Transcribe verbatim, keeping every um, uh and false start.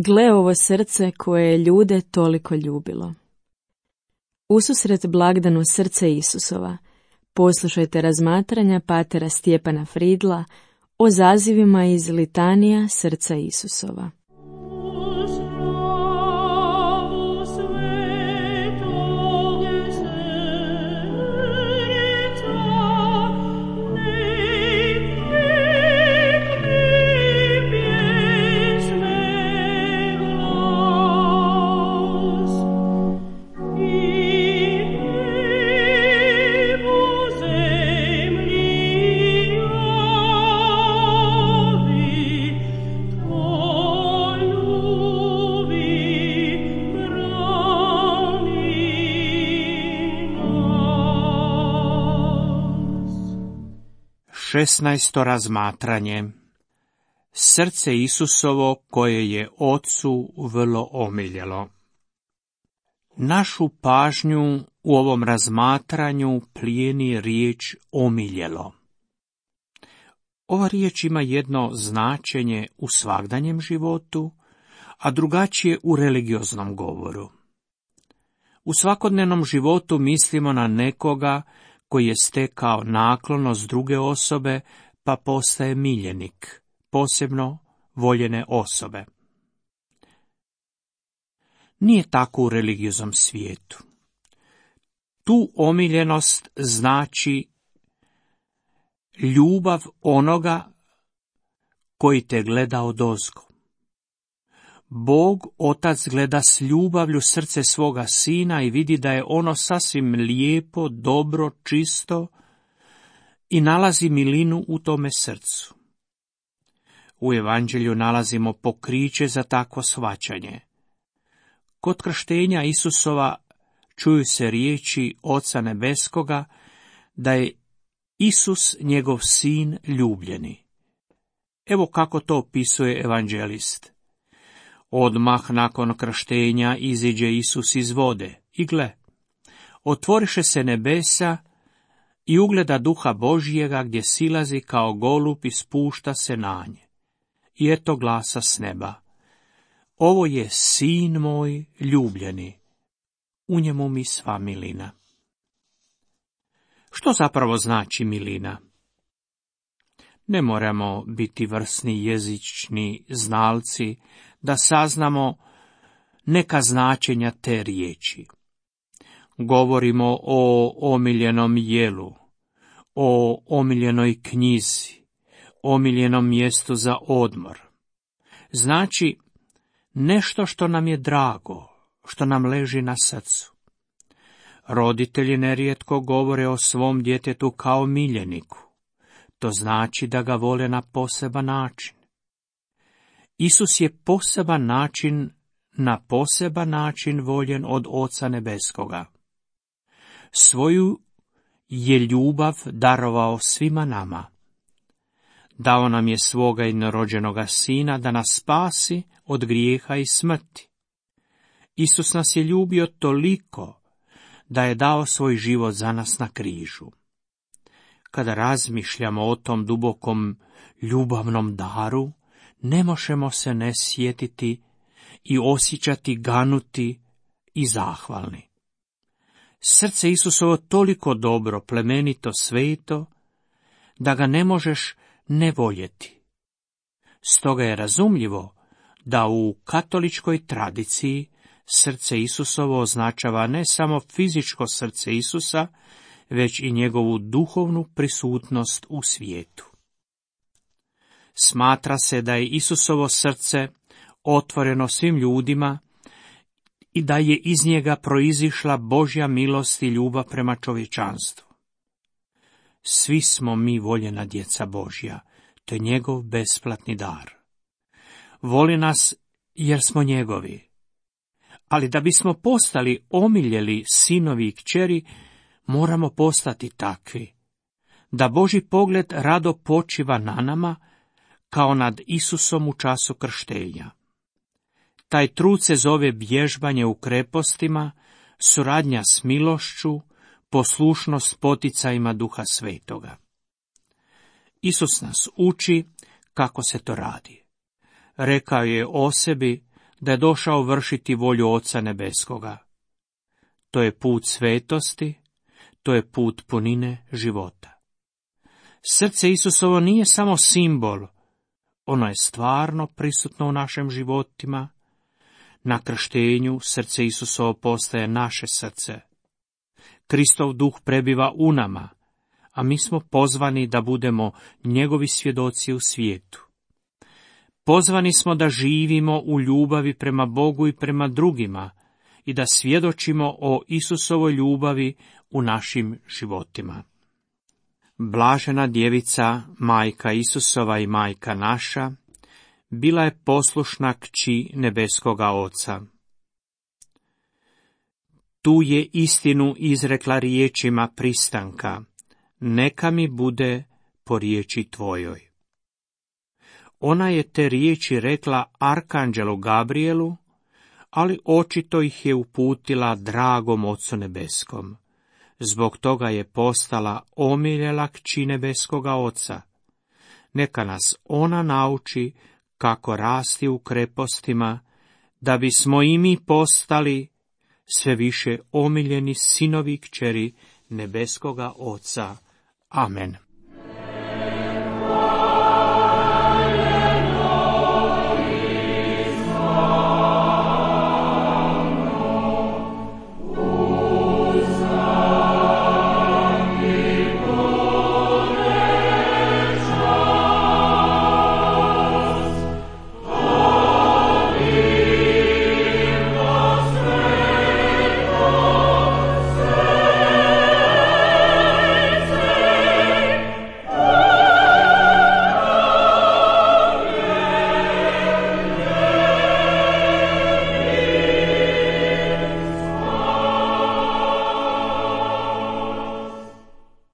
Gle ovo srce koje je ljude toliko ljubilo. Ususret blagdanu srce Isusova, poslušajte razmatranja patera Stjepana Fridla o zazivima iz litanija srca Isusova. Šesnaesto razmatranje. Srce Isusovo koje je Ocu vrlo omiljelo. Našu pažnju u ovom razmatranju plijeni riječ omiljelo. Ova riječ ima jedno značenje u svagdanjem životu, a drugačije u religioznom govoru. U svakodnevnom životu mislimo na nekoga koji je stekao naklonost druge osobe, pa postaje miljenik, posebno voljene osobe. Nije tako u religioznom svijetu. Tu omiljenost znači ljubav onoga koji te gleda odozgo. Bog, Otac, gleda s ljubavlju srce svoga sina i vidi da je ono sasvim lijepo, dobro, čisto i nalazi milinu u tome srcu. U Evanđelju nalazimo pokriće za takvo shvaćanje. Kod krštenja Isusova čuju se riječi Oca Nebeskoga da je Isus njegov sin ljubljeni. Evo kako to opisuje evanđelist. Odmah nakon krštenja iziđe Isus iz vode i gle, otvoriše se nebesa i ugleda Duha Božjega gdje silazi kao golub i spušta se na nje. I eto glasa s neba. Ovo je sin moj ljubljeni, u njemu mi sva milina. Što zapravo znači milina? Ne moramo biti vrsni jezični znalci da saznamo neka značenja te riječi. Govorimo o omiljenom jelu, o omiljenoj knjizi, omiljenom mjestu za odmor. Znači, nešto što nam je drago, što nam leži na srcu. Roditelji nerijetko govore o svom djetetu kao miljeniku. To znači da ga vole na poseban način. Isus je poseban način, na poseban način voljen od Oca Nebeskoga. Svoju je ljubav darovao svima nama. Dao nam je svoga jednorođenoga sina da nas spasi od grijeha i smrti. Isus nas je ljubio toliko da je dao svoj život za nas na križu. Kada razmišljamo o tom dubokom ljubavnom daru, ne možemo se ne sjetiti i osjećati ganuti i zahvalni. Srce Isusovo toliko dobro, plemenito, sveto, da ga ne možeš ne voljeti. Stoga je razumljivo da u katoličkoj tradiciji srce Isusovo označava ne samo fizičko srce Isusa, već i njegovu duhovnu prisutnost u svijetu. Smatra se da je Isusovo srce otvoreno svim ljudima i da je iz njega proizišla Božja milost i ljubav prema čovječanstvu. Svi smo mi voljena djeca Božja, to je njegov besplatni dar. Voli nas jer smo njegovi. Ali da bismo postali omiljeli sinovi i kćeri, moramo postati takvi, da Božji pogled rado počiva na nama, kao nad Isusom u času krštenja. Taj trud se zove vježbanje u krepostima, suradnja s milošću, poslušnost poticajima Duha Svetoga. Isus nas uči kako se to radi. Rekao je o sebi da je došao vršiti volju Oca Nebeskoga. To je put svetosti, to je put punine života. Srce Isusovo nije samo simbol, ono je stvarno prisutno u našim životima. Na krštenju srce Isusovo postaje naše srce. Kristov duh prebiva u nama, a mi smo pozvani da budemo njegovi svjedoci u svijetu. Pozvani smo da živimo u ljubavi prema Bogu i prema drugima i da svjedočimo o Isusovoj ljubavi u našim životima. Blažena djevica, majka Isusova i majka naša, bila je poslušna kći nebeskoga Oca. Tu je istinu izrekla riječima pristanka, neka mi bude po riječi tvojoj. Ona je te riječi rekla arkanđelu Gabrielu, ali očito ih je uputila dragom Ocu nebeskom. Zbog toga je postala omiljela kći nebeskoga Oca. Neka nas ona nauči kako rasti u krepostima, da bismo i mi postali sve više omiljeni sinovi i kćeri nebeskoga Oca. Amen.